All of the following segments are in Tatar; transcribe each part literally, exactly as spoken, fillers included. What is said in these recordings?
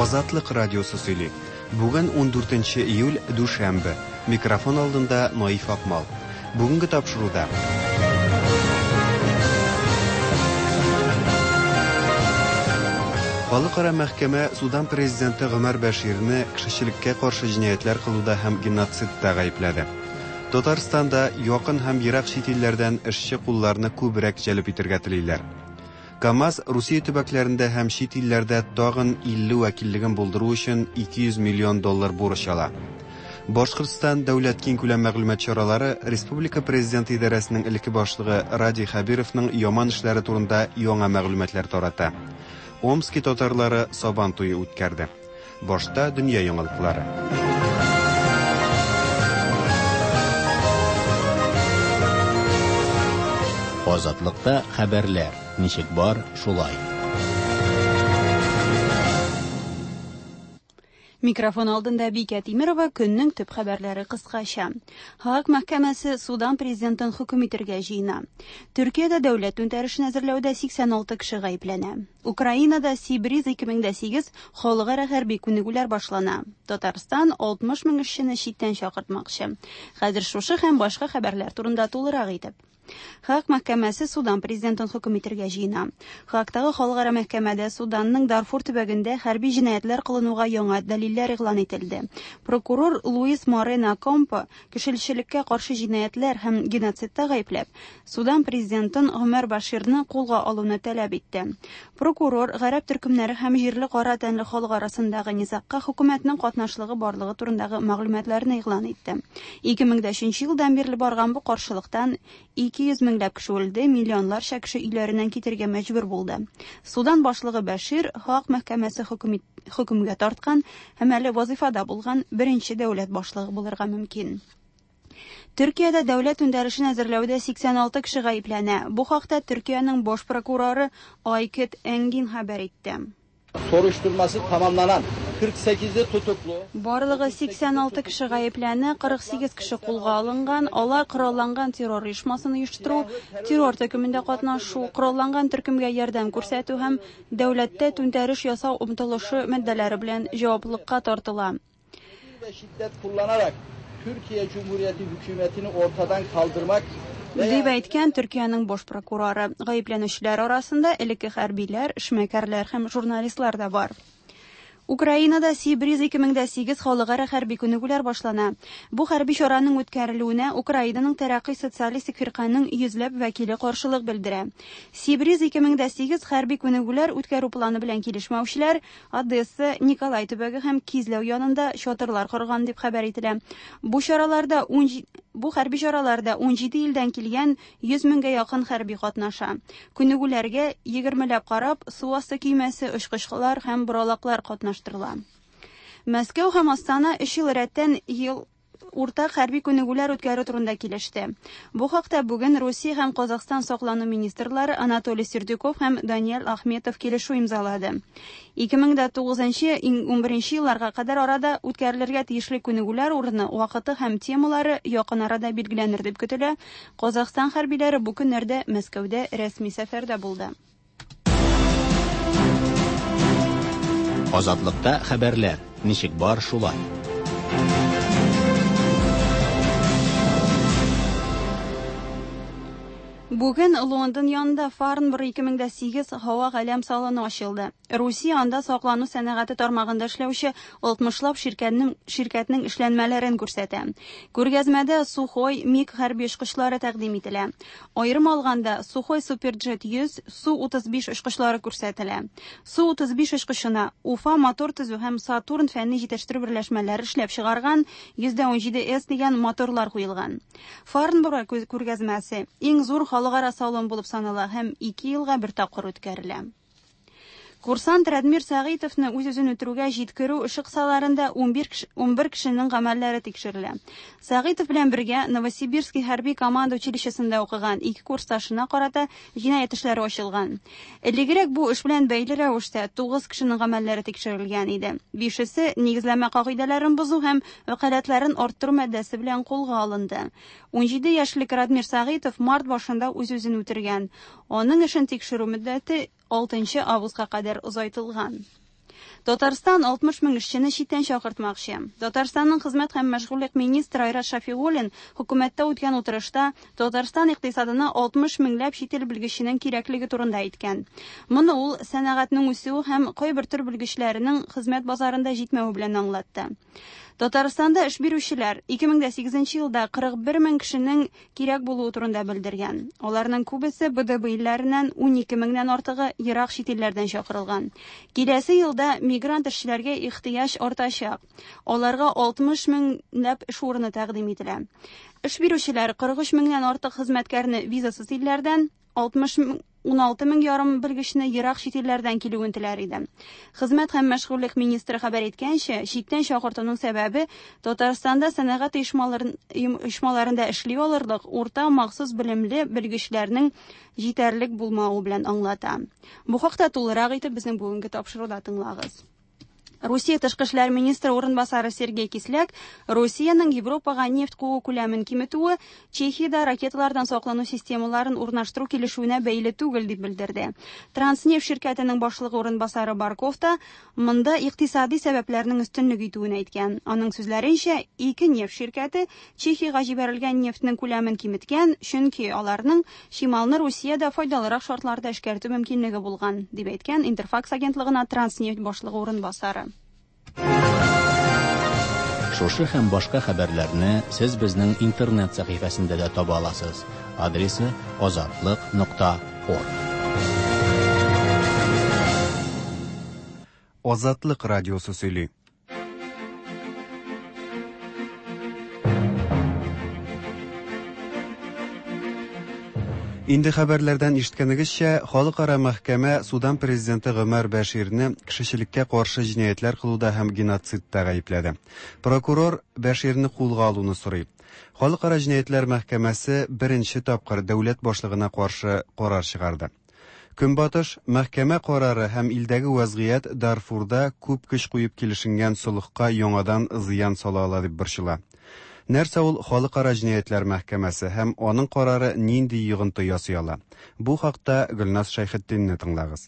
Азатлык радиосы сөйли. Бүген ундүртенче июль, дүшәмбе. Микрофон алдында Наиф Акмал. Бүгенге тапшыруда. Халыкара мәхкәмә Судан президенты Гомәр Бәширне кешелеккә каршы җинаятьләр кылуда һәм геноцидта гаепләде. Татарстанда якын һәм ерак чит илләрдән эшче кулларны күбрәк җәлеп итәргә телиләр. КАМАЗ Русия төбәкләрендә һәм чит илләрдә тагын илле вәкиллеген булдыру өчен ике йөз миллион доллар бурыч ала. Башкортстан дәүләт киңкүләм мәгълүмат чаралары Республика президенты идарәсенең элекке башлыгы Радий Хәбировның яман эшләре турында яңа мәгълүматлар тарата. Омски татарлары Сабан туе үткәрде. Башта дөнья яңалыклары. Азатлыкта хәбәрләр ничек бар, шулай. Микрофон алдында Бикә Тимирова, көннең төп хәбәрләре кыскача. Һааг мәхкәмәсе Судан президентын хөкем итәргә җыена. Төркиядә дәүләт түнтәрешен әзерләүдә сиксән алты кеше гаепләнә. Украинада Сибриз ике мең дә сигез халыкара хәрби күнегүләр башлана. Татарстан алтмыш мең эшчене читтән чакыртмакчы. Хәзер шушы һәм башка хәбәрләр турында тулырак итеп. Һааг мәхкәмәсе Судан президентын хөкем итәргә җыена. Һаагтагы халыкара мәхкәмәдә Суданның Дарфур төбәгендә хәрби җинаятьләр кылынуга яңа дәлилләр игълан ителде. Прокурор Луис Морено Компо кешелеккә каршы җинаятьләр һәм геноцидта гаепләп, Судан президентын Гомәр Баширны кулга алуны таләп итте. Прокурор гарәп төркемнәре һәм җирле кара тәнле халык арасындагы низагка хөкүмәтнең катнашлыгы барлыгы турындагы мәгълүматларны игълан итте. Ике мең дә өченче елдан бирле барган бу каршылыктан ике йөз меңләп кеше үлде, миллионларча кеше өйләреннән китергә мәҗбүр булды. Судан башлыгы Бәшир Һааг мәхкәмәсе хөкем ит-, хөкемгә тарткан һәм әле вазифада булган беренче дәүләт башлыгы булырга мөмкин. Төркиядә дәүләт түнтәрешен әзерләүдә сиксән алты кеше гаепләнә. Бу хакта Төркиянең баш прокуроры Айкет Энгин хәбәр итте. Soruşturması tamamlanan kırk sekizli tutuklu. Барлыгы сиксән алты кеше гаепләнә, кырык сигез кеше кулга алынган. Алар коралланган террор оешмасын оештыру, террор төркемендә катнашу, коралланган төркемгә ярдәм күрсәтү һәм дәүләттә түнтәреш ясау омтылышы маддәләре белән җаваплылыкка тартыла. Şiddet kullanarak Türkiye Cumhuriyeti hükümetini ortadan kaldırmak дип әйткән Төркиянең баш прокуроры. Гаепләнүчеләр арасында элекке хәрбиләр, эшмәкәрләр һәм журналистлар да бар. Украинада Сибриз ике мең дә сигез халыкара хәрби күнегүләр башлана. Бу хәрби чараның үткәрелүенә Украинаның Тәрәкъи социалистик фирканың йөзләп вәкиле каршылык белдерә. Сибриз ике мең дә сигез хәрби күнегүләр үткәрү планы белән килешмәүчеләр Одесса, Николай төбәге һәм Кизләү янында чатырлар корган дип хәбәр ителә. Бу чараларда ун җи-, бу хәрби чараларда ун җиде илдән килгән йөз меңгә якын хәрби катнаша. Күнегүләргә егермеләп карап, су асты көймәсе, очкычлар һәм боралаклар катнаштырыла. Мәскәү һәм Астана өч ел рәттән ел уртак хәрби күнегүләр үткәрү турында килеште. Бу хакта бүген Русия һәм Казахстан саклану министрлары Анатолий Сердюков һәм Даниэль Ахметов килешү имзалады. Ике мең дә тугызынчы, ун беренче елларга кадәр арада үткәрелергә тиешле күнегүләр урыны, вакыты һәм темалары якын арада билгеләнер дип көтелә. Казахстан хәрбиләре бу көннәрдә Мәскәүдә рәсми сәфәрдә булды. Азатлыкта хәбәрләр ничек бар, шулай. Бүген Лондон янында Фарнборо ике мең дә сигез һава галәм салоны ачылды. Русия анда саклану сәнәгате тармагында эшләүче алтмышлап ширкәтнең, ширкәтнең эшләнмәләрен күрсәтә. Күргәзмәдә Сухой МиГ хәрби очкычлары тәкъдим ителә. Аерым алганда Сухой Суперджет йөз, Су утыз биш очкычлары күрсәтелә. Су утыз биш очкычына Уфа мотор төзү һәм Сатурн фәнни җитештерү берләшмәләре эшләп чыгарган йөз дә унҗиде С дигән моторлар куелган. Фарнборо күргәзмәсе иң зур халыкара салон булып санала һәм ике елга бер тапкыр үткәрелә. Курсант Радмир Сәгыйтовны үз-үзен үтерүгә җиткерү эше кысаларында унбер кеше, унбер кешенең гамәлләре тикшерелә. Сәгыйтов белән бергә Новосибирский хәрби команда училищесында укыган ике курсташына карата җинаять эшләре ачылган. Элегрәк бу эш белән бәйле рәвештә тугыз кешенең гамәлләре тикшерелгән иде. Бишесе нигезләмә кагыйдәләрен бозу һәм вәкаләтләрен арттыру маддәсе белән кулга алынды. Унҗиде яшьлек Радмир Сәгыйтов март башында үз-үзен үтергән. Аның эшен тикшерү мөддәте алтынчы августка кадәр озайтылган. Татарстан алтмыш мең эшчене читтән чакыртмакчы. Татарстанның хезмәт һәм мәшгульлек министры Айрат Шафигуллин хөкүмәттә үткән утырышта Татарстан икътисадына алтмыш меңләп чит ил белгеченең кирәклеге турында әйткән. Моны ул сәнәгатьнең үсүе һәм кайбер төр белгечләренең хезмәт базарында җитмәве белән аңлатты. Татарстанда эш бирүчеләр ике мең дә сигезенче елда кырык бер мең кешенең кирәк булуы турында белдергән. Аларның күбесе Б Д Б илләреннән, ун ике меңнән артыгы ерак чит илләрдән чакырылган. Киләсе елда мигрант эшчеләргә ихтыяҗ артачак. Аларга алтмыш меңләп эш урыны тәкъдим ителә. Эш бирүчеләр кырык өч меңнән артык хезмәткәрне визасыз илләрдән, алтмыш мең, ун алты мең ярым белгечне ерак чит илләрдән килүен теләр иде. Хезмәт һәм мәшгульлек министры хәбәр иткәнчә, читтән чакыртуның сәбәбе Татарстанда сәнәгать оешмаларын, оешмаларында эшли алырлык урта махсус белемле белгечләрнең җитәрлек булмавы белән аңлата. Бу хакта тулырак итеп безнең бүгенге тапшыруда тыңлагыз. Русия тышкы эшләр министры урынбасары Сергей Кисляк Русиянең Европага нефть куу күләмен киметүе Чехиядә ракеталардан саклану системаларын урнаштыру килешүенә бәйле түгел дип белдерде. Транснефть ширкәтенең башлыгы урынбасары Барков та монда икътисади сәбәпләрнең өстенлек итүен әйткән. Аның сүзләренчә, ике нефть ширкәте Чехиягә җибәрелгән нефтьнең күләмен киметкән, чөнки аларның чималны Русиядә файдалырак шартларда эшкәртү мөмкинлеге булган, дип әйткән Интерфакс агентлыгына Транснефть башлыгы урынбасары. Шушы һәм башка хәбәрләрне сез безнең интернет сәхифәсендә дә таба аласыз. Адресы азатлык нокта орг. Азатлык радиосы сөйли. Инде хәбәрләрдән ишеткәнегезчә, Халыкара мәхкәмә Судан президенты Гомәр Бәширне кешелеккә каршы җинаятьләр кылуда һәм геноцидта гаепләде. Прокурор Бәширне кулга алуны сорый. Халыкара җинаятьләр мәхкәмәсе беренче тапкыр дәүләт башлыгына каршы карар чыгарды. Көнбатыш мәхкәмә карары һәм илдәге вазгыять Дарфурда күп көч куеп килешенгән солыхка яңадан зыян сала ала дип борчыла. Нәрсә ул Халыкара җинаятьләр мәхкәмәсе һәм аның карары нинди йогынты ясый ала? Бу хакта Гөлназ Шәйхетдинне тыңлагыз.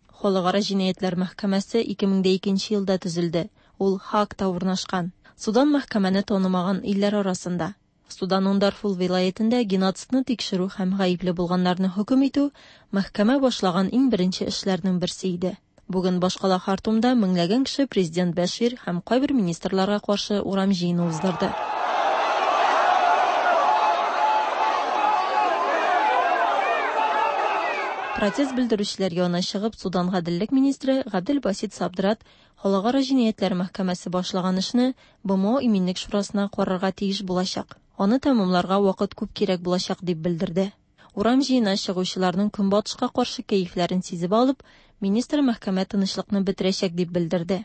Халыкара җинаятьләр мәхкәмәсе ике мең дә икенче елда төзелде. Ул Хаагта урнашкан. Судан мәхкәмәне танымаган илләр арасында. Суданның Дарфур вилаятендә геноцидны тикшерү һәм гаепле булганнарны хөкем итү мәхкәмә башлаган иң беренче эшләрнең берсе иде. Бүген башкала Хартумда меңләгән кеше президент Бәшир һәм кайбер министрларга каршы урам җыены уздырды. Протест белдерүчеләр янына чыгып, Судан гаделлек министры Габделбасит Сабдрат Халыкара җинаятьләр мәхкәмәсе башлаган эшне Б М О Иминлек шурасына карарга тиеш булачак. Аны тәмамларга вакыт күп кирәк булачак дип белдерде. Урам җыенына чыгучыларның көнбатышка каршы кәефләрен сизеп алып, министр мәхкәмә тынычлыкны бетерәчәк дип белдерде.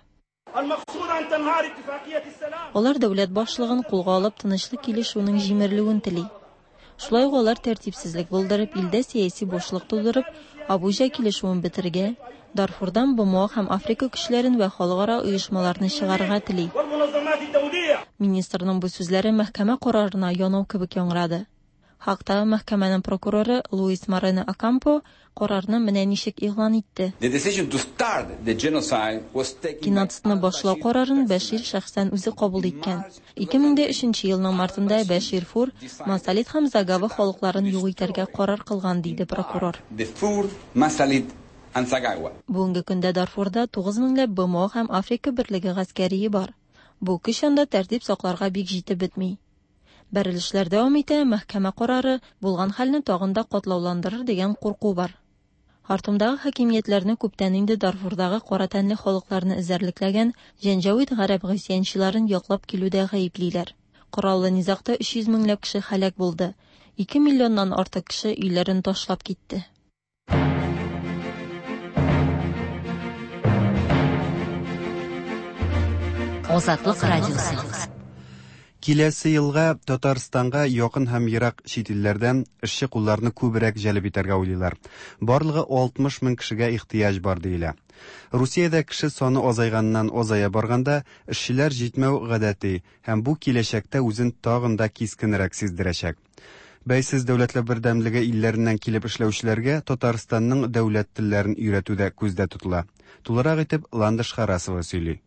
Алар дәүләт башлыгын кулга алып тынычлык килешүенең җимерелүен тели. Шулай ук алар тәртипсезлек булдырып, илдә сәяси бушлык тудырып, Абуҗа килешүен бетерергә, Дарфурдан Б М О һәм Африка көчләрен вә халыкара оешмаларны чыгарырга тели. Министрның бу сүзләре мәхкәмә карарына янау кебек яңгырады. Хакта мәхкәмәнең прокуроры Луис Морено Акампо карарны менә ничек игълан итте. The decision to start the genocide was taken by Геноцидны башлау карарын Бәшир шәхсән үзе кабул иткән. Ике мең дә өченче елның мартында Бәшир Фур, Масалит һәм Загава халыкларын юк итәргә карар кылган, диде прокурор. The Fur, Masalit and Zaghawa. Бүгенге көндә Дарфурда тугыз меңләп Б М О һәм Африка берлеге гаскәрие бар. Бу көч анда тәртип сакларга бик җитеп бетми. Бәрелешләр дәвам итә, мәхкәмә карары булган хәлне тагын да катлауландырыр дигән курку бар. Хартумдагы хакимиятләрне күптән инде Дарфурдагы кара тәнле халыкларны эзәрлекләгән Җәнҗавид гарәп гыйсьянчыларын яклап килүдә гаеплиләр. Кораллы низагта өч йөз меңләп кеше һәлак булды. Ике миллионнан артык кеше өйләрен ташлап китте. Азатлык радиосы. Киләсе елга Татарстанга якын һәм ерак чит илләрдән эшче кулларны күбрәк җәлеп итәргә уйлыйлар. Барлыгы алтмыш мең кешегә ихтыяҗ бар диелә. Русиядә кеше саны азайганнан азая барганда эшчеләр җитмәү гадәти һәм бу киләчәктә үзен тагын да кискенрәк сиздерәчәк. Бәйсез дәүләтләр бердәмлеге илләреннән килеп эшләүчеләргә Татарстанның дәүләт телләрен өйрәтү дә күздә тотыла. Тулырак итеп Ландыш Харасова сөйли.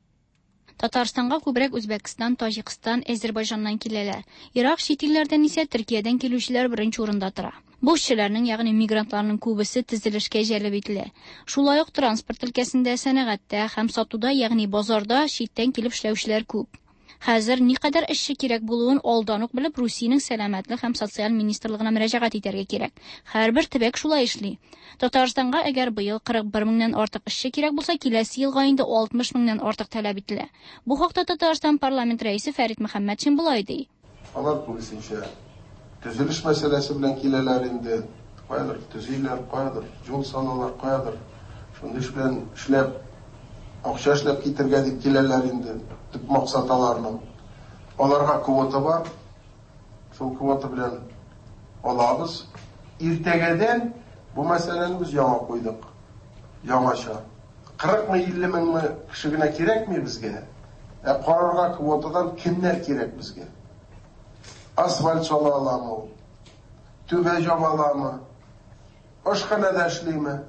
Татарстанга күбрәк Үзбәкстан, Таҗикстан, Әзербайҗаннан киләләр. Ерак чит илләрдән исә Төркиядән килүчеләр беренче урында тора. Бу эшчеләрнең, ягъни мигрантларның күбесе төзелешкә җәлеп ителә. Шулай ук транспорт өлкәсендә, сәнәгатьтә һәм сатуда, ягъни базарда читтән килеп эшләүчеләр күп. Хәзер никадәр эшче кирәк булуын алдан ук белеп, Русиянең сәламәтлек һәм социаль министрлыгына мөрәҗәгать итәргә кирәк. Һәрбер төбәк шулай эшли. Татарстанга әгәр быел кырык бер меңнән артык эшче кирәк булса, киләсе елга инде алтмыш меңнән артык таләп ителә. Бу хакта Татарстан парламент рәисе Фәрит Мөхәммәтшин болай ди. Алар күбесенчә төзелеш мәсьәләсе белән киләләр инде. Каядыр төзиләр, каядыр юл салалар, каядыр шундый эш белән эшләп, акча эшләп китергә дип киләләр инде. Төп максат аларның. Аларга квота бар. Шул квота белән алабыз. Иртәгәдән бу мәсьәләне без яңа куйдык. Яңача. Кырыкмы, илле меңме кеше генә кирәкми безгә. Ә карарга квотадан кемнәр кирәк безгә? Асфальт сала аламы ул? Түбә җаба аламы? Ашханәдә эшлиме?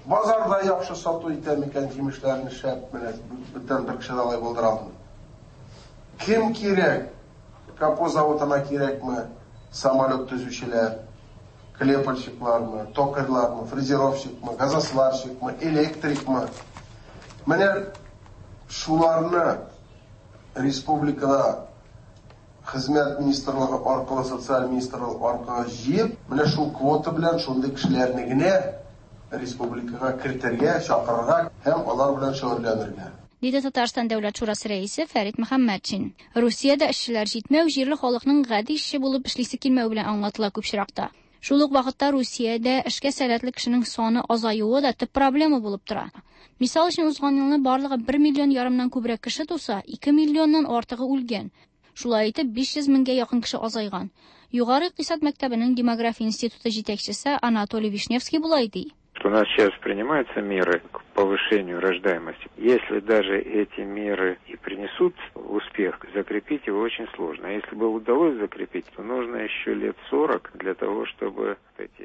Базарда яхшы сату итә микән җимешләрне шәп менә бүтән бер кеше дә алай булдыра алмый. Кем кирәк? Капо заводына кирәкме? Самолет төзүчеләр, клепальщиклармы, токарьлармы, фрезеровщикмы, газосварщикмы, электрикмы? Менә шуларны республикада хезмәт министрлыгы аркылы, социаль министрлык аркылы җыеп, менә шул квота белән шундый кешеләрне генә республикага кертергә, чакырырга һәм алар белән шөгыльләнергә. Диде Татарстан Дәүләт Шурасы рәисе Фәрит Мөхәммәтшин. Русиядә эшчеләр җитмәү җирле халыкның гади эшче булып эшлисе килмәү белән аңлатыла күп очракта. Шул ук вакытта Русиядә эшкә сәләтле кешенең саны азаюы да төп проблема булып тора. Мисал өчен, узган елны барлыгы бер миллион ярымнан күбрәк кеше туса, ике миллионнан артыгы үлгән. Шулай итеп, биш йөз меңгә якын кеше азайган. Югары икътисад мәктәбенең демография институты җитәкчесе Анатолий Вишневский болай ди. У нас сейчас принимаются меры к повышению рождаемости. Если даже эти меры и принесут успех, закрепить его очень сложно. А если бы удалось закрепить, то нужно еще лет сорок для того, чтобы...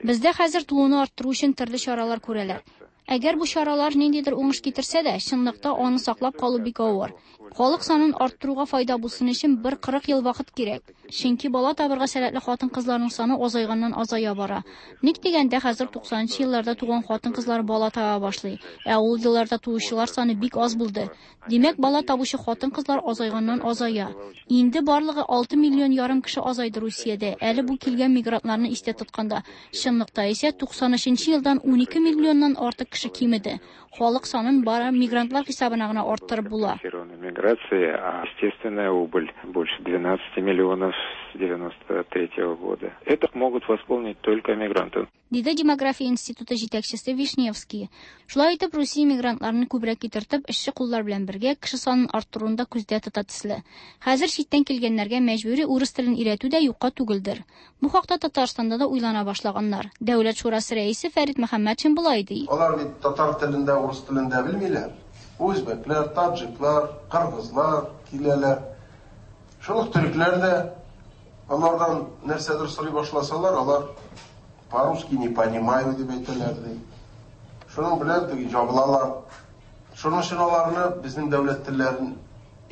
Бездә хәзер тууны арттыру өчен төрле чаралар күрәләр. Әгәр бу чаралар ниндидер уңыш китерсә дә, чынлыкта аны саклап калу бик авыр. Халык санын арттыруга файда булсын өчен бер кырык ел вакыт кирәк. Чөнки бала табырга сәләтле хатын-кызларның саны азайганнан азая бара. Ник дигәндә, хәзер туксанынчы елларда туган хатын-кызлар бала таба башлый, ә ул елларда туучылар саны бик аз булды. Димәк, бала табучы хатын-кызлар азайганнан азая. Инде барлыгы алты миллион ярым кеше азайды Русиядә. Әле бу килгән мигрантларны истә тотканда, чынлыкта исә туксан өченче елдан унике миллионнан артык кеше кимеде. Халык санын бары мигрантлар хисабына гына арттырып була. Миграция, а естественная убыль больше двенадцати миллионов с девяносто третьего года. Это могут восполнить только мигранты. Диде демография институты җитәкчесе Вишневский. Шулай итеп, Русия мигрантларны күбрәк китертеп, эшче куллар белән бергә кеше санын арттыруны да күздә тота төсле. Хәзер читтән килгәннәргә мәҗбүри урыс телен өйрәтү дә юкка түгелдер. Бу хакта Татарстанда да уйлана башлаганнар. Дәүләт шурасы рәисе Фәрит Мөхәммәтшин болай ди. Алар бит татар телендә, урыс телендә белмиләр. Үзбәкләр, таҗиклар, кыргызлар киләләр. Шул ук төрекләр дә алардан нәрсәдер сорый башласалар, алар по-русски не понимаю дип әйтәләр ди. Шуның белән теге җабылалар. Шуның өчен аларны безнең дәүләт телләрен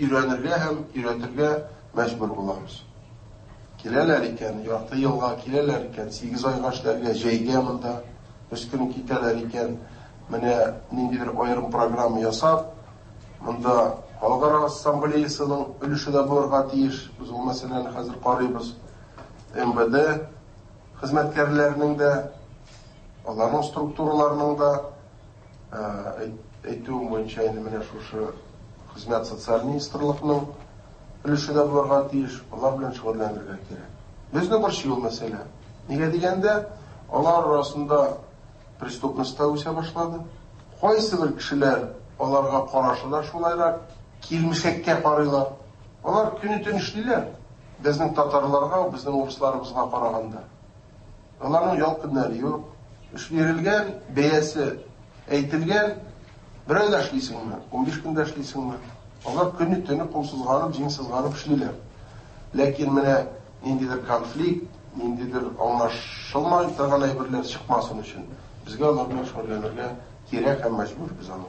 өйрәнергә һәм өйрәтергә мәҗбүр булабыз. Киләләр икән, ярты елга киләләр икән, сигез айга эшләргә, җәйгә монда, өч көн китәләр икән. Менә ниндидер аерым программа ясап, монда Халыкара ассамблеясының өлеше дә булырга тиеш. Без ул мәсьәләне хәзер карыйбыз. эм вэ дэ хезмәткәрләренең дә, аларның структураларының да, әйтүем буенча инде менә шушы хезмәт социаль министрлыкның өлеше дә булырга тиеш. Алар белән шөгыльләнергә кирәк. Безне борчый ул мәсьәлә. Нигә дигәндә, алар арасында преступность та үсә башлады. Кайсы бер кешеләр аларга карашы да шулайрак, килмешәккә карыйлар. Алар көне-төн эшлиләр. Безнең татарларга, безнең урысларыбызга караганда. Аларның ял көннәре юк. Эш бирелгән, бәясе әйтелгән, бер айда эшлисеңме, унбиш көндә эшлисеңме? Алар көне-төне кул сызганып, җиң сызганып эшлиләр. Ләкин менә ниндидер конфликт, Ниндидер аңлашылмай торган әйберләр чыкмасын өчен безгә алар белән шөгыльләнергә кирәк һәм мәҗбүр без аны.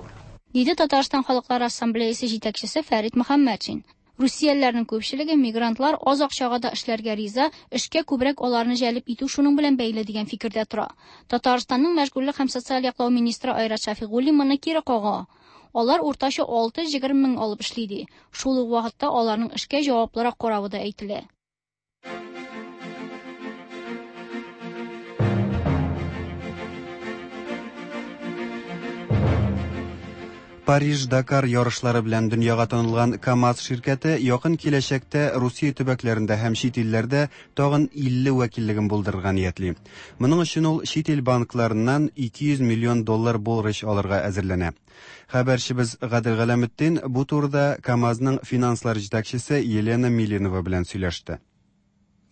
Диде Татарстан Халыклар Ассамблеясы җитәкчесе Фәрит Мөхәммәтшин. Русиялеләрнең күпчелеге мигрантлар аз акчага да эшләргә риза, эшкә күбрәк аларны җәлеп итү шуның белән бәйле дигән фикердә тора. Татарстанның мәшгульлек һәм социаль яклау министры Айрат Шәфигуллин моны кире кага. Алар уртача алты йөз егерме мең алып эшли ди. Шул ук вакытта аларның эшкә җаваплырак каравы да әйтелә. Париж-Дакар ярышлары белән дөньяга танылган КАМАЗ ширкәте якын киләчәктә Русия төбәкләрендә һәм чит илләрдә тагын илле вәкиллеген булдырырга ниятли. Моның өчен ул чит ил банкларыннан ике йөз миллион доллар бурыч алырга әзерләнә. Хәбәрчебез Гадел Галәметдин бу турыда КАМАЗның финанслар җитәкчесе Елена Милинова белән сөйләште.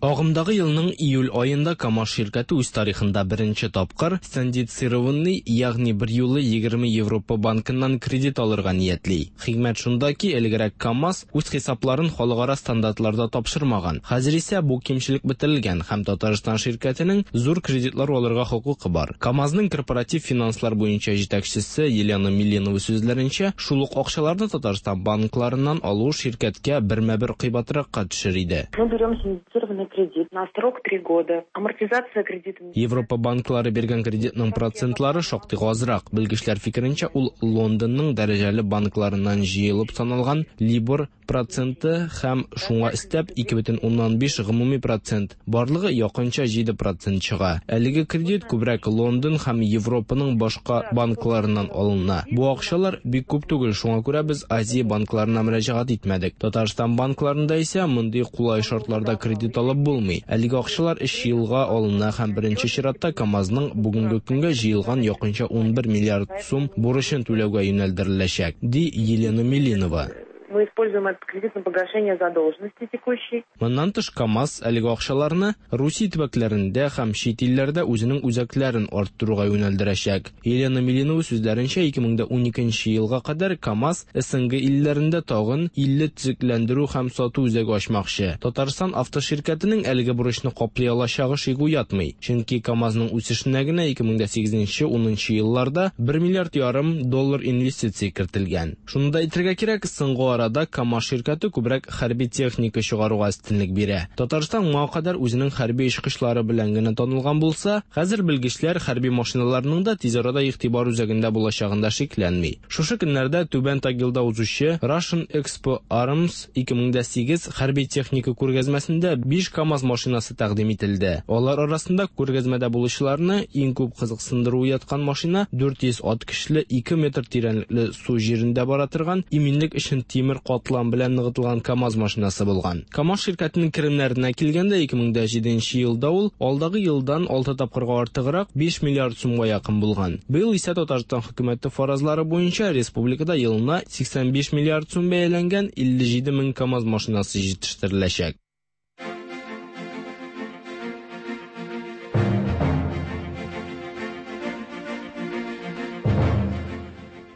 Агымдагы елның июль аенда КАМАЗ ширкәте үз тарихында беренче тапкыр синдицированный, ягъни бер юлы егерме Европа банкыннан кредит алырга ниятли. Хикмәт шунда ки, элегрәк КАМАЗ үз хисапларын халыкара стандартларда тапшырмаган. Хәзер исә бу кимчелек бетерелгән һәм Татарстан ширкәтенең зур кредитлар алырга хокукы бар. КАМАЗның корпоратив финанслар буенча җитәкчесе Елена Милинова сүзләренчә, шул ук акчаларны Татарстан банкларыннан алу ширкәткә бермә-бер кыйбатракка төшер иде. Мы берем синдицированный кредит на срок три года. Амортизация кредита. Европа банклары биргән кредитның процентлары шактый азрак. Белгечләр фикеренчә, ул Лондонның дәрәҗәле банкларыннан җыелып саналган Либор проценты һәм шуңа өстәп ике бөтен уннан биш гомуми процент, барлыгы якынча җиде процент чыга. Әлеге кредит күбрәк Лондон һәм Европаның башка банкларыннан алына. Бу акчалар бик күп түгел, шуңа күрә без Азия банкларына мөрәҗәгать итмәдек. Татарстан банкларында исә мондый кулай шартларда кредит алып булмый. Әлеге акчалар өч елга алына һәм беренче чиратта КАМАЗның бүгенге көнгә җыелган якынча унбер миллиард сум бурычын түләүгә юнәлдереләчәк, ди Елена Милинова. Мы используем этот кредит на погашение задолженности текущей. Моннан тыш КАМАЗ әлеге акчаларны Русия төбәкләрендә һәм чит илләрдә үзенең үзәкләрен арттыруга юнәлдерәчәк. Елена Милинова сүзләренчә, ике мең уникенче елга кадәр КАМАЗ СНГ илләрендә тагын илле төзекләндерү һәм сату үзәге ачмакчы. Татарстан автоширкәтенең әлеге бурычны каплый алачагы шик уятмый, чөнки КАМАЗның үсешенә генә ике мең сигезенче унынчы елларда бер миллиард ярым доллар инвестиция кертелгән. Шуны да әйтергә кирәк, соңгы арада КАМАЗ ширкәте күбрәк хәрби техника чыгаруга өстенлек бирә. Татарстан моңа кадәр үзенең хәрби очкычлары белән генә танылган булса, хәзер белгечләр хәрби машиналарның да тиз арада игътибар үзәгендә булачагында шикләнми. Шушы көннәрдә Түбән Тагилда узучы Russian Expo Arms ике мең сигез хәрби техника күргәзмәсендә биш КАМАЗ машинасы тәкъдим ителде. Алар арасында күргәзмәдә булучыларны иң күп кызыксындыру яткан машина дүрт йөз ат көчле ике метр тирәнлекле су җирендә бара торган иминлек өчен тимер катлам белән ныгытылган КАМАЗ машинасы булган. КАМАЗ ширкәтенең керемнәренә килгәндә ике мең җиденче елда ул алдагы елдан алты тапкырга артыграк биш миллиард сумга якын булган. Быел исә Татарстан хөкүмәте фаразлары буенча республикада елына сиксән биш миллиард сум бәяләнгән илле җиде мең КАМАЗ машинасы җитештереләчәк.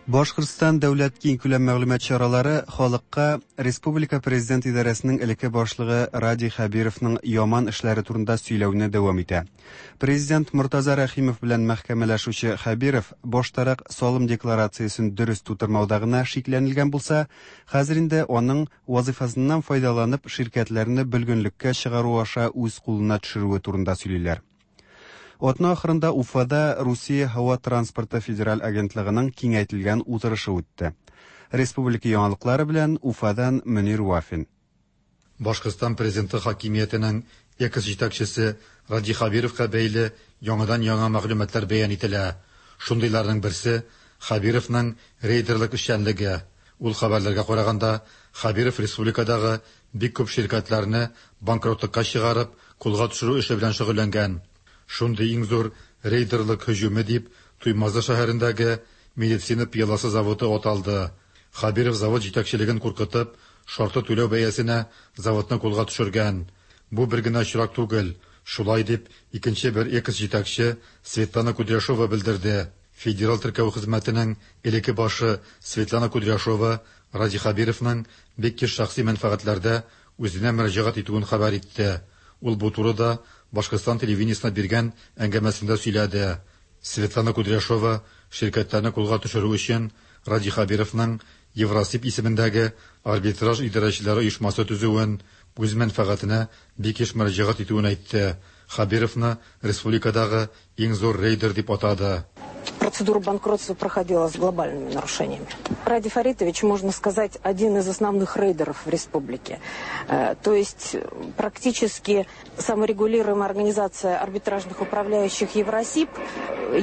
Башкортстан дәүләт киңкүләм мәгълүмат чаралары халыкка Республика Президент идарәсенең элекке башлыгы Радий Хәбировның яман эшләре турында сөйләүне дәвам итә. Президент Мортаза Рәхимов белән мәхкәмәләшүче Хәбиров баштарак салым декларациясен дөрес тутырмауда гына шикләнелгән булса, хәзер инде аның вазифасыннан файдаланып ширкәтләрне бөлгенлеккә чыгару аша үз кулына төшерүе турында сөйлиләр. Атна ахырында Уфада Русия һава транспорты федераль агентлыгының киңәйтелгән утырышы үтте. Республика яңалыклары белән Уфадан Мөнир Вафин. Башкортстан президенты хакимиятенең экс-җитәкчесе Радий Хәбировка бәйле яңадан-яңа мәгълүматлар бәян ителә. Шундыйларның берсе Хәбировның рейдерлык эшчәнлеге. Ул хәбәрләргә караганда, Хәбиров республикадагы бик күп ширкәтләрне банкротлыкка чыгарып, кулга төшерү эше белән шөгыльләнгән. Шундый иң зур рейдерлык һөҗүме дип Туймазы шәһәрендәге медицина пыяласы заводы аталды. Хәбиров завод җитәкчелеген куркытып, шартлы түләү бәясенә заводны кулга төшергән. Бу бер генә очрак түгел. Шулай дип икенче бер экс-җитәкче Светлана Кудряшова белдерде. Федераль теркәү хезмәтенең элекке башы Светлана Кудряшова Радий Хәбировның бик еш шәхси мәнфәгатьләрдә үзенә мөрәҗәгать итүен хәбәр итте. Ул бу турыда Башкортстан телевидениесенә биргән әңгәмәсендә сөйләде. Светлана Кудряшова ширкәтләрне кулга төшерү өчен Радий Хәбировның Евросиб исемендәге арбитраж идарәчеләре оешмасы төзүен, үз мәнфәгатенә бик еш мөрәҗәгать итүен әйтте. Хәбировны республикадагы иң зур рейдер дип атады. Процедура банкротства проходила с глобальными нарушениями. Радий Фаритович, можно сказать, один из основных рейдеров в республике. То есть практически саморегулируемая организация арбитражных управляющих Евросиб,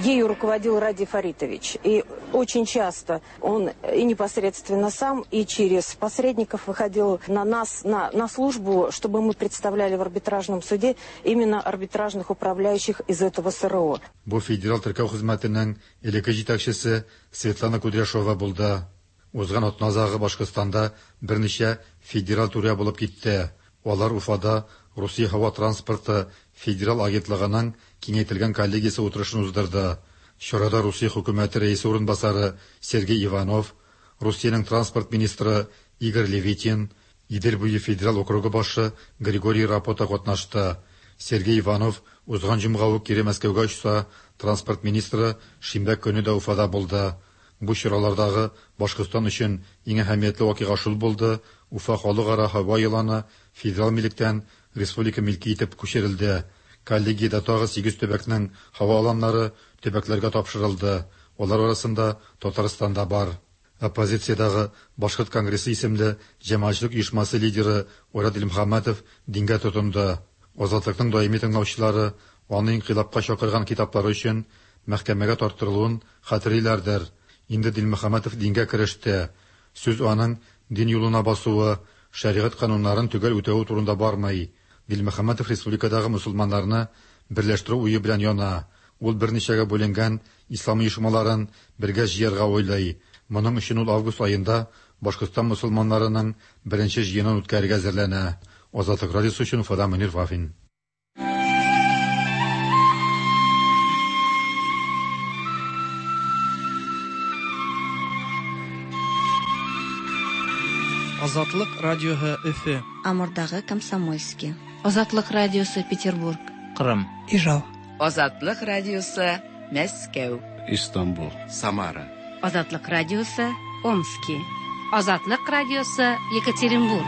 ею руководил Радий Фаритович. И очень часто он и непосредственно сам, и через посредников выходил на нас, на, на службу, чтобы мы представляли в арбитражном суде именно арбитражных управляющих из этого СРО. Бу федераль теркәү хезмәтенең элекке җитәкчесе Светлана Кудряшова булды. Узган атна азагы Башкортстанда берничә федераль түрә булып китте. Алар Уфада Русия һава транспорты федераль агентлыгының киңәйтелгән коллегиясе утырышын уздырды. Чарада Русия хөкүмәте рәисе урынбасары Сергей Иванов, Русиянең транспорт министры Игорь Левитин, Идел буе федераль округы башы Григорий Рапота катнашты. Сергей Иванов узган җомга ук кире Мәскәүгә очса, транспорт министры шимбә көне дә Уфада булды. Бу чаралардагы Башкортстан өчен иң әһәмиятле вакыйга шул булды: Уфа халыкара һава еланы федераль милектән республика милке итеп күчерелде. Коллегиядә тагы сигез төбәкнең һава аланнары төбәкләргә тапшырылды. Алар арасында Татарстан да бар. Оппозициядагы Башкорт конгрессы исемле җәмәгатьчелек оешмасы лидеры Айрат Дилмөхәммәтов дингә тотынды. Азатлыкның даими тыңлаучылары аны инкыйлабка чакырган китаплары өчен мәхкәмәгә тарттырылуын хәтерлиләрдер. Инде Дилмөхәммәтов дингә кереште. Сүз аның дин юлына басуы, шәригать кануннарын төгәл үтәве турында бармый. Дилмөхәммәтов республикадагы мөселманнарны берләштерү уе белән яна. Ул берничәгә бүленгән ислам оешмаларын бергә җыярга уйлый. Моның өчен ул август аенда Башкортстан мөселманнарының беренче җыенын үткәрергә әзерләнә. Азатлык радиосы өчен Уфадан Мөнир Вафин. Азатлык радиосы Өфе. Амурдагы Комсомольский. Азатлык радиосы Петербург. Кырым. Ижау. Азатлык радиосы Мәскәү. Истанбул. Самара. Азатлык радиосы Омски. Азатлык радиосы Екатеринбург.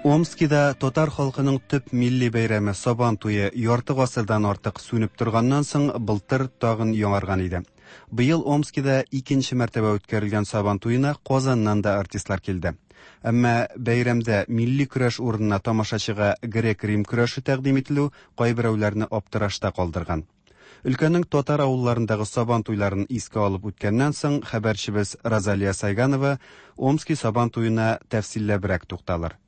Омскида татар халкының төп милли бәйрәме Сабан туе ярты гасырдан артык сүнеп торганнан соң былтыр тагын яңарган иде. Быел Омскида икенче мәртәбә үткәрелгән Сабан туена Казаннан да артистлар килде. Әмма бәйрәмдә милли көрәш урынына тамашачыга грек-рим көрәше тәкъдим ителү кайберәүләрне аптырашта калдырган. Өлкәнең татар авылларындагы Сабан туйларын искә алып үткәннән соң хәбәрчебез Розалия Сайганова Омски Сабан туена тәфсилләбрәк тукталыр.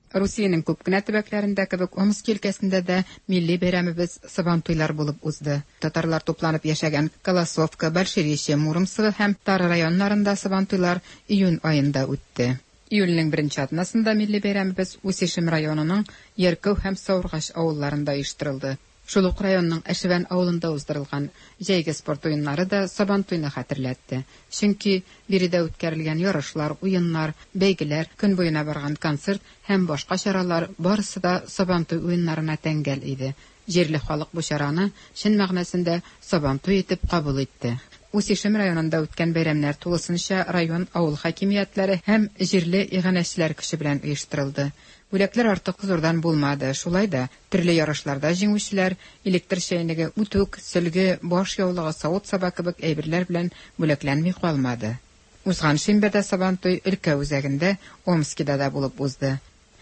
Русиянең күп кенә төбәкләрендә кебек Омски өлкәсендә дә милли бәйрәмебез Сабантуйлар булып узды. Татарлар тупланып яшәгән Колосовка, Большеречье, Муромцево һәм Тара районнарында Сабантуйлар июнь аенда үтте. Июльнең беренче атнасында милли бәйрәмебез Усишем районының Яркәү һәм Саургаш авылларында оештырылды. Шул ук районның Әшевән авылында уздырылган җәйге спорт уеннары да Сабантуйны хәтерләтте. Чөнки биредә үткәрелгән ярышлар, уеннар, бәйгеләр, көн буена барган концерт һәм башка чаралар барысы да Сабантуй уеннарына тәңгәл иде. Җирле халык бу чараны чын мәгънәсендә Сабантуй итеп кабул итте. Усишем районында үткән бәйрәмнәр тулысынча район авыл хакимиятләре һәм җирле иганәчеләр көче белән оештырылды. Бүләкләр артык зурдан булмады. Шулай да төрле ярышларда җиңүчеләр электр чәйнеге, үтүк, сөлге, баш яулыгы, савыт-саба кебек әйберләр белән бүләкләнми калмады. Узган шимбәдә Сабантуй өлкә үзәгендә Омскида да булып узды.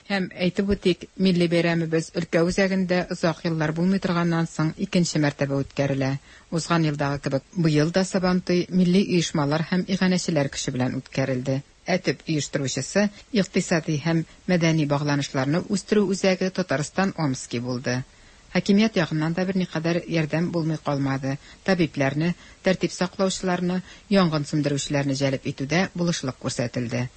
Һәм әйтеп үтик, милли бәйрәмебез өлкә үзәгендә озак еллар булмый торганнан соң икенче мәртәбә үткәрелә. Узган елдагы кебек быел да Сабантуй милли оешмалар һәм иганәчеләр көче белән үткәрелде. Ә төп оештыручысы икътисади һәм мәдәни багланышларны үстерү үзәге Татарстан Омски булды. Хакимият ягыннан да берникадәр ярдәм булмый калмады. Табибләрне, тәртип саклаучыларны, янгын сүндерүчеләрне җәлеп итүдә булышлык күрсәтелде.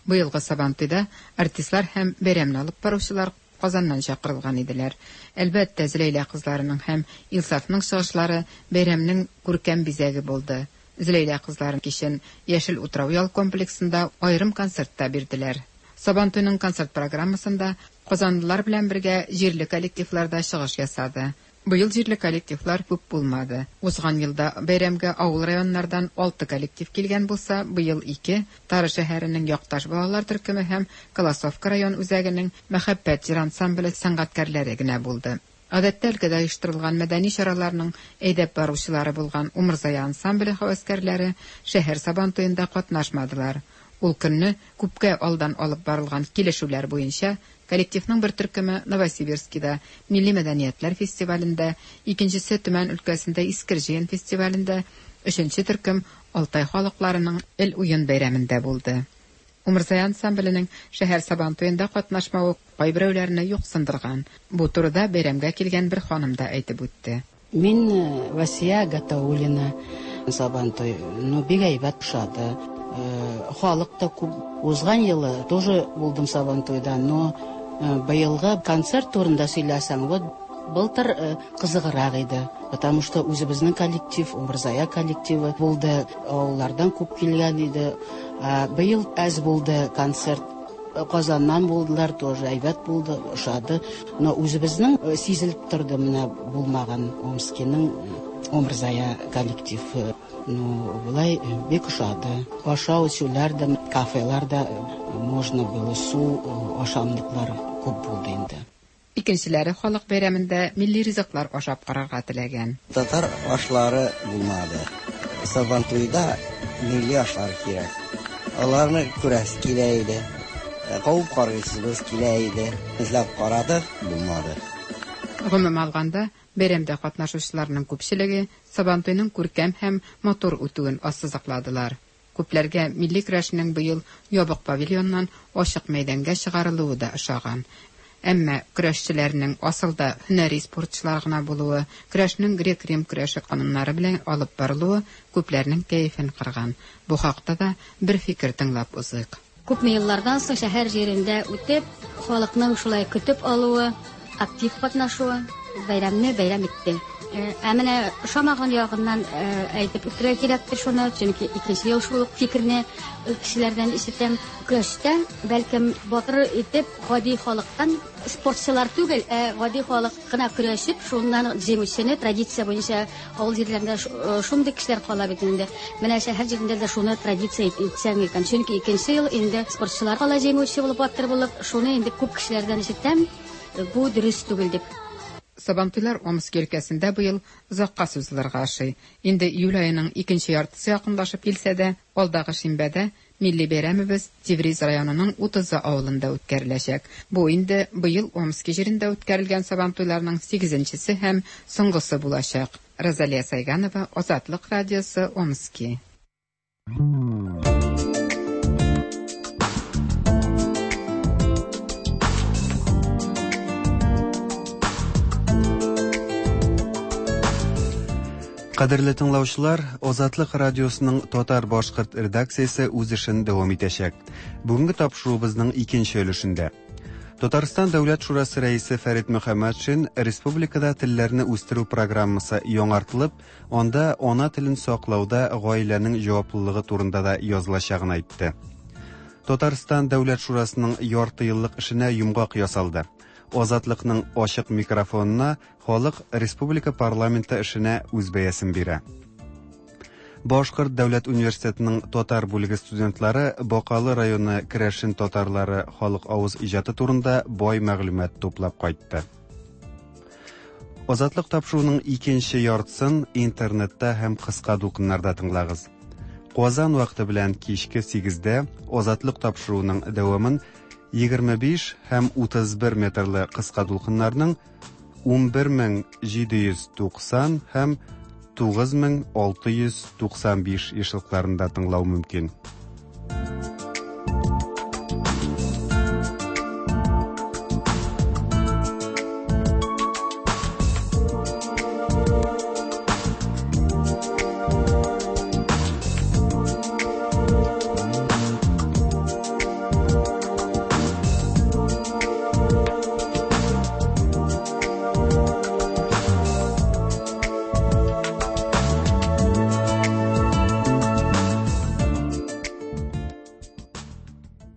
Быелгы Сабантуйда артистлар һәм бәйрәмне алып баручылар Казаннан чакырылган иделәр. Әлбәттә, Зөләйлә кызларының һәм Илсафның чыгышлары бәйрәмнең күркәм бизәге булды. Зөләйлә кызлары кичен Яшел утрау ял комплексында аерым концерт та бирделәр. Сабантуйның концерт программасында казанлылар белән бергә җирле коллективлар да чыгыш ясады. Быел җирле коллективлар күп булмады. Узган елда бәйрәмгә авыл районнардан алты коллектив килгән булса, быел ике, Тары шәһәренең Якташ балалар төркеме һәм Колосовка район үзәгенең Мәхәббәт җыр ансамбле сәнгатькәрләре генә булды. Гадәттә өлкәдә оештырылган мәдәни чараларның әйдәп баручылары булган Умырзая ансамбле һәвәскәрләре шәһәр Сабантуенда катнашмадылар. Ул көнне күпкә алдан алып барылган килешүләр буенча коллективның бер төркеме Новосибирскида Милли мәдәниятләр фестивалендә, икенчесе Төмән өлкәсендә Искер җыен фестивалендә, өченче төркем Алтай халыкларының Эл уен бәйрәмендә булды. Умырзая ансамбленең шәһәр Сабантуенда катнашмавы кайберәүләрне юксындырган. Бу турыда бәйрәмгә килгән бер ханым да әйтеп үтте. Мин Васия Гатауллина. Сабантуй, ну, бик әйбәт ошады. Халык та күп. Узган елы тоже булдым Сабантуйда, но быелгы концерт турында сөйләсәң, вот былтыр кызыграк иде, потому что үзебезнең коллектив, Умырзая коллективы булды, авыллардан күп килгән иде. Быел әз булды концерт. Казаннан булдылар, тоже әйбәт булды, ошады. Но үзебезнең сизелеп торды менә булмаган Омскиның Умырзая коллективы. Ну, былай бик ошады. Ашау эчүләр дә, кафелар да можно было, су, ашамлыклар күп булды инде. Икенчеләре халык бәйрәмендә милли ризыклар ашап карарга теләгән. Татар ашлары булмады. Сабантуйда милли ашлар кирәк. Аларны күрәсе килә иде. Кабып карыйсыбыз килә иде. Эзләп карадык, булмады. Гомумән алганда, бәйрәмдә катнашучыларның күпчелеге Сабантуйның күркәм һәм матур үтүен ассызыкладылар. Күпләргә милли көрәшнең быел ябык павильоннан ачык мәйданга чыгарылуы да ошаган. Әмма көрәшчеләрнең асылда һөнәри спортчылар гына булуы, көрәшнең грек-рим көрәше кануннары белән алып барылуы күпләрнең кәефен кырган. Бу хакта да бер фикер тыңлап узыйк. Күпме еллардан соң шәһәр җирендә үтеп, халыкның шулай көтеп алуы, актив катнашуы бәйрәмне бәйрәм итте. Ә менә ошамаган ягыннан әйтеп үтәргә кирәктер шуны, чөнки икенче ел шул ук фикерне кешеләрдән ишетәм. Көрәштә бәлкем батыр итеп гади халыктан спортчылар түгел, ә гади халык кына көрәшеп, шуннан җиңүчене традиция буенча авыл җирләрендә шундый кешеләр кала бит инде. Менә шәһәр җирендә дә шуны традиция итсәң икән. Чөнки икенче ел инде спортчылар кала җиңүче булып, батыр булып, шуны инде күп кешеләрдән ишетәм, бу дөрес түгел дип. Сабантуйлар Омск өлкәсендә быел озакка сузылырга ошый. Инде июль аеның икенче яртысы якынлашып килсә дә, алдагы шимбәдә милли бәйрәмебез Тевриз районының Утызы авылында үткәреләчәк. Бу инде быел Омски җирендә үткәрелгән Сабантуйларның сигезенчесе һәм соңгысы булачак. Розалия Сайганова, Азатлык радиосы, Омски. Кадерле тыңлаучылар, Азатлык радиосының татар-башкорт редакциясе үз эшен дәвам итәчәк. Бүгенге тапшыруыбызның икенче өлешендә Татарстан Дәүләт Шурасы рәисе Фәрит Мөхәммәтшин республикада телләрне үстерү программасы яңартылып, анда ана телен саклауда гаиләнең җаваплылыгы турында да язылачагын әйтте. Татарстан Дәүләт Шурасының ярты еллык эшенә йомгак ясалды. Азатлыкның ачык микрофонына халык республика парламенты эшенә үз бәясен бирә. Башкорт дәүләт университетының татар бүлеге студентлары Бакалы районы керәшен татарлары халык авыз иҗаты турында бай мәгълүмат туплап кайтты. Азатлык тапшыруының икенче яртысын интернетта һәм кыска дулкыннарда тыңлагыз. Казан вакыты белән кичке сигездә Азатлык тапшыруының дәвамын егерме биш һәм утыз бер метрлы кыска дулкыннарның ун бер мең җиде йөз туксан һәм тугыз мең алты йөз туксан биш ешлыкларында тыңлау мөмкин.